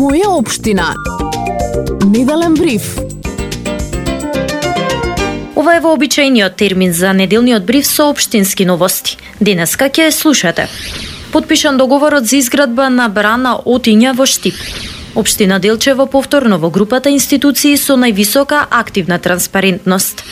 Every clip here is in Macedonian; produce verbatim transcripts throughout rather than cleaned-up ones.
Моја општина. Неделен бриф. Ова е вообичаениот термин за неделниот бриф со општински новости. Денеска ќе слушате. Потпишан договорот за изградба на брана Отиња во Штип. Општина Делчево повторно во групата институции со највисока активна транспарентност.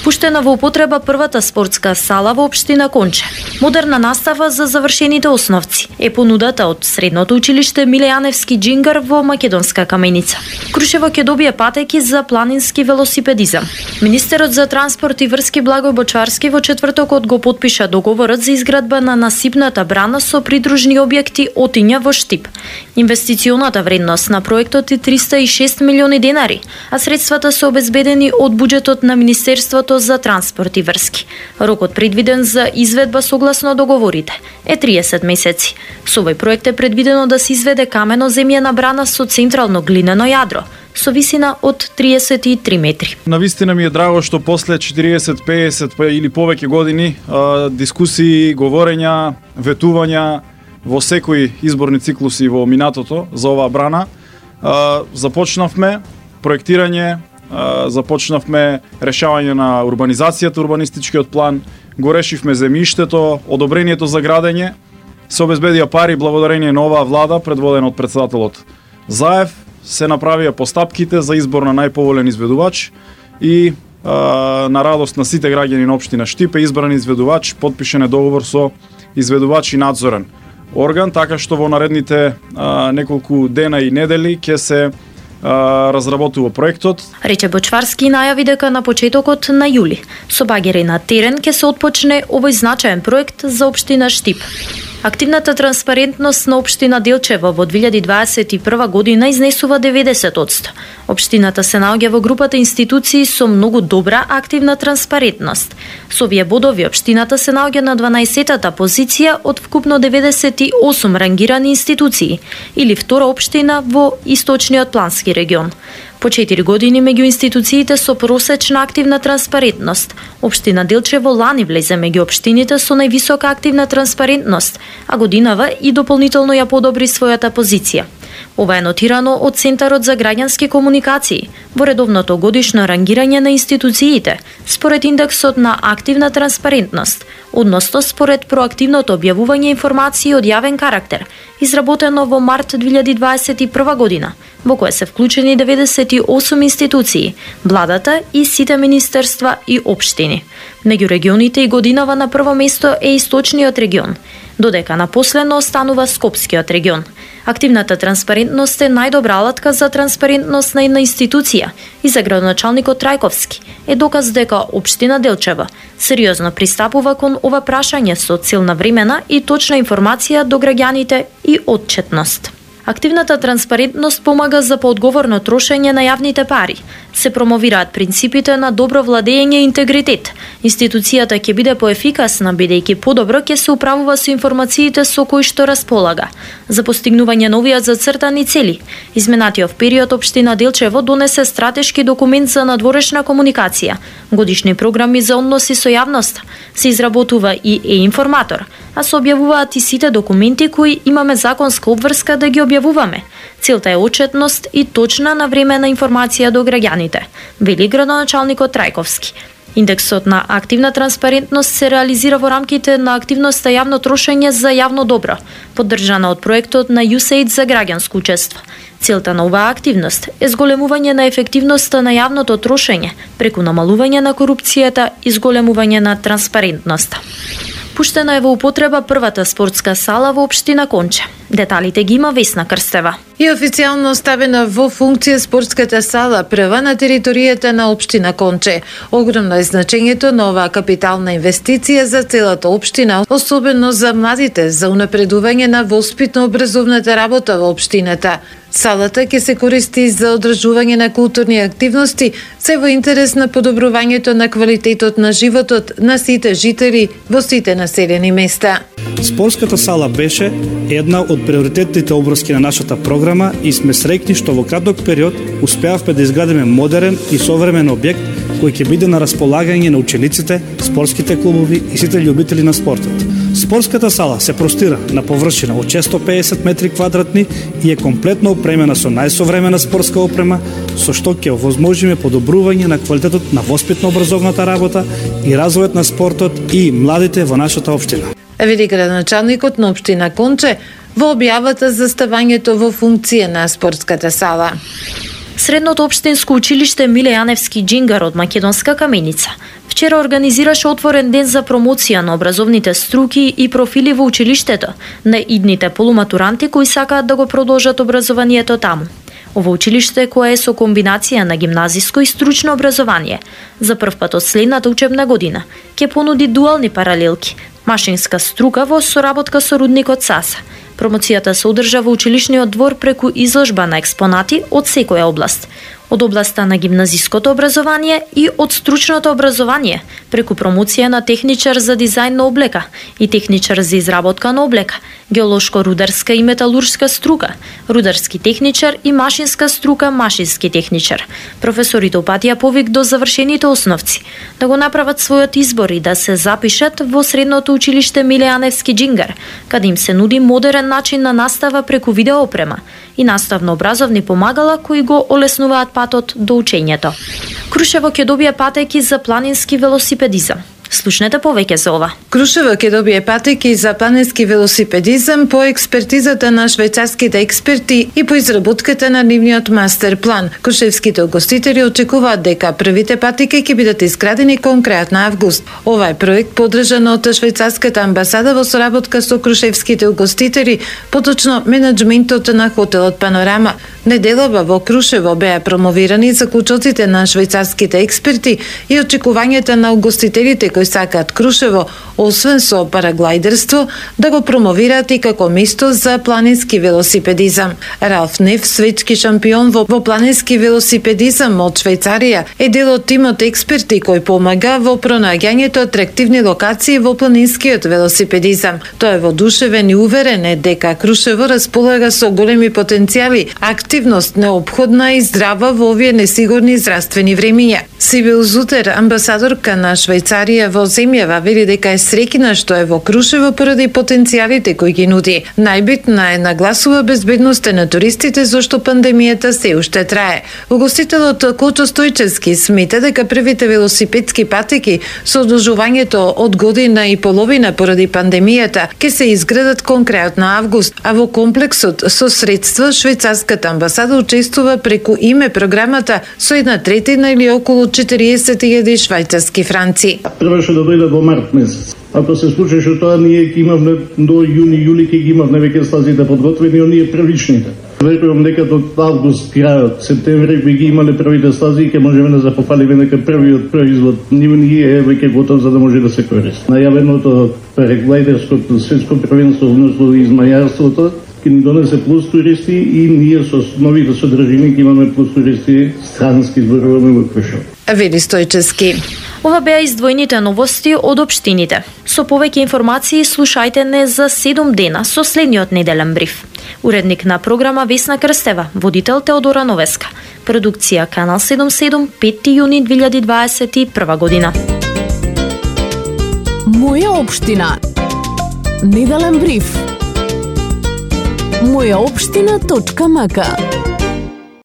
Пуштена во употреба првата спортска сала во општина Конче. Модерна настава за завршените основци е понудата од средното училиште Миле Јаневски Џингар во Македонска Каменица. Крушево ќе добие патеки за планински велосипедизам. Министерот за транспорт и врски Благој Бочварски во четвртокот го потпиша договорот за изградба на насипната брана со придружни објекти Отиња во Штип. Инвестиционата вредност на проектот е триста и шест милиони денари, а средствата се обезбедени од буџетот на Министерството за транспорт и врски. Рокот предвиден за изведба согласно договорите е триесет месеци. Со овој проект е предвидено да се изведе камено-земјана брана со централно глинено јадро, со висина од триесет и три метри. Навистина ми е драго што после четириесет, пеесет па или повеќе години а, дискусии, говорења, ветувања во секои изборни циклуси во минатото за оваа брана, а, започнавме проектирање, а, започнавме решавање на урбанизацијата, урбанистичкиот план, го решивме земјиштето, одобрението за градење, се обезбедија пари благодарение на оваа влада предводена од претседателот Заев, се направија постапките за избор на најповолен изведувач и а, на радост на сите граѓани на општина Штип е избран изведувач, потпишен е договор со изведувач и надзорен орган, така што во наредните а, неколку дена и недели ќе се а, разработува проектот. Рече Бочварски и најави дека на почетокот на јули со багери на терен ќе се отпочне овој значаен проект за општина Штип. Активната транспарентност на општина Делчево во две илјади дваесет и прва година изнесува деветдесет одсто. Општината се наоѓа во групата институции со многу добра активна транспарентност. Со овие бодови општината се наоѓа на дванаесеттата позиција од вкупно деветдесет и осум рангирани институции, или втора општина во источниот плански регион. По четири години меѓу институциите со просечна активна транспарентност, општина Делчево лани влезе меѓу општините со највисока активна транспарентност, а годинава и дополнително ја подобри својата позиција. Ова е нотирано од Центарот за граѓански комуникации во редовното годишно рангирање на институциите според индексот на активна транспарентност, односно според проактивното објавување информации од јавен карактер, изработено во март две илјади дваесет и прва година, во кое се вклучени деветдесет и осум институции, владата и сите министерства и општини. Меѓу регионите и годинава на прво место е Источниот регион, додека на последно останува Скопскиот регион. Активната транспарентност е најдобра алатка за транспарентност на една институција и за градоначалникот Трајковски е доказ дека општина Делчево сериозно пристапува кон ова прашање со цел на времена и точна информација до граѓаните и отчетност. Активната транспарентност помага за поодговорно трошење на јавните пари. Се промовираат принципите на добро владење и интегритет. Институцијата ќе биде поефикасна бидејќи подобро ќе се управува со информациите со кои што располага. За постигнување на овие зацртани цели, изминатиот период општина Делчево донесе стратешки документ за надворешна комуникација, годишни програми за односи со јавноста, се изработува и е-информатор, а се објавуваат и сите документи кои имаме законска обврска да ги објавуваме. Целта е отчетност и точна навремена информација до граѓаните, вели градоначалникот Трајковски. Индексот на активна транспарентност се реализира во рамките на активноста јавно трошење за јавно добро, поддржана од проектот на ю ес ей ай ди за граѓанско учество. Целта на оваа активност е зголемување на ефективноста на јавното трошење преку намалување на корупцијата и зголемување на транспарентноста. Пуштена е во употреба првата спортска сала во општина Конче. Деталите ги има Весна Крстева. И официјално ставена во функција спортската сала прва на територијата на општина Конче. Огромно е значењето на оваа капитална инвестиција за целата општина, особено за младите, за унапредување на воспитно-образовната работа во општината. Салата ќе се користи за одржување на културни активности, се во интерес на подобрувањето на квалитетот на животот на сите жители во сите населени места. Спортската сала беше една од приоритетните обврски на нашата програма и сме среќни што во краток период успеавме да изградиме модерен и современ објект кој ќе биде на располагање на учениците, спортските клубови и сите љубители на спортот. Спортската сала се простира на површина од шестоста и педесет метри квадратни и е комплетно опремена со најсовремена спортска опрема, со што ќе овозможиме подобрување на квалитетот на воспитно-образовната работа и развојот на спортот и младите во нашата општина. Вели градоначалникот на општина Конче во објавата за ставањето во функција на спортската сала. Средното општинско училиште Миле Јаневски Џингар од Македонска Каменица вчера организираше отворен ден за промоција на образовните струки и профили во училиштето на идните полуматуранти кои сакаат да го продолжат образованието таму. Ово училиште, кое е со комбинација на гимназиско и стручно образование, за прв пат од следната учебна година ќе понуди дуални паралелки, машинска струка во соработка со рудникот Саса. Промоцијата се одржа во училишниот двор преку изложба на експонати од секоја област. Од областа на гимназиското образование и од стручното образование, преку промоција на техничар за дизајн на облека и техничар за изработка на облека, геолошко-рударска и металуршка струка, рударски техничар и машинска струка, машински техничар. Професорите упатија повик до завршените основци да го направат својот избор и да се запишат во средното училиште Миле Јаневски Џингар, каде им се нуди модерен начин на настава преку видеоопрема и наставно-образовни помагала кои го олеснуваат патот до учењето. Крушево ќе добие патеки за планински велосипедизам. Слушнете повеќе за ова. Крушево ќе добие патеки за планински велосипедизам по експертизата на швајцарските експерти и по изработката на нивниот мастер план. Крушевските угостители очекуваат дека првите патеки ќе бидат изградени кон крајот на август. Ова е проект поддржан од швајцарската амбасада во соработка со крушевските угостители, поточно менаџментот на хотелот Панорама. Неделава во Крушево беа промовирани заклучоците на швајцарските експерти и очекувањата на угостителите кои сакаат Крушево, освен со параглајдерство, да го промовираат и како место за планински велосипедизам. Ралф Неф, светски шампион во, во планински велосипедизам од Швајцарија, е дел од тимот експерти кој помага во пронаѓањето атрактивни локации во планинскиот велосипедизам. Тој е воодушевен и уверен е дека Крушево располага со големи потенцијали, активност неопходна и здрава во овие несигурни здравствени времиња. Сибил Зутер, амбасадорка на Швајцарија во земјава, вели дека е среќна што е во Крушево поради потенцијалите кои ги нуди. Најбитна е нагласува безбедноста на туристите зашто пандемијата се уште трае. Угостителот Кочо Стојчевски смета дека првите велосипедски патеки со одложувањето од година и половина поради пандемијата ќе се изградат кон крајот на август, а во комплексот со средства швајцарската амбасада учествува преку име програмата со една третина или околу четириесет илјади швајцарски франци. Требаше да дојде до март месец. Ако се случеше тоа, ние ќе имавме до јуни, јули ќе ги имавме веќе стазите подготвени, оние првичните. Верувам дека до август, крајот, септември би ги имале првите стази и ќе можеме да запофалиме дека првиот производ ние е веќе готов за да може да се користи. Најавеното параглајдерското светско првенство, односно измајарството, ќе ни донесе плюс туристи и ние со новите содржини ќе имаме плюс туристи странски, зборуваме во Крушево. Вели Стојчевски. Ова беа издвоените новости од општините. Со повеќе информации слушајте не за седум дена со следниот неделен бриф. Уредник на програма Весна Крстева, водител Теодора Новеска. Продукција Канал седумдесет и седум, петти јуни две илјади дваесет и прва година. Моја општина. Неделен бриф. моја општина точка м к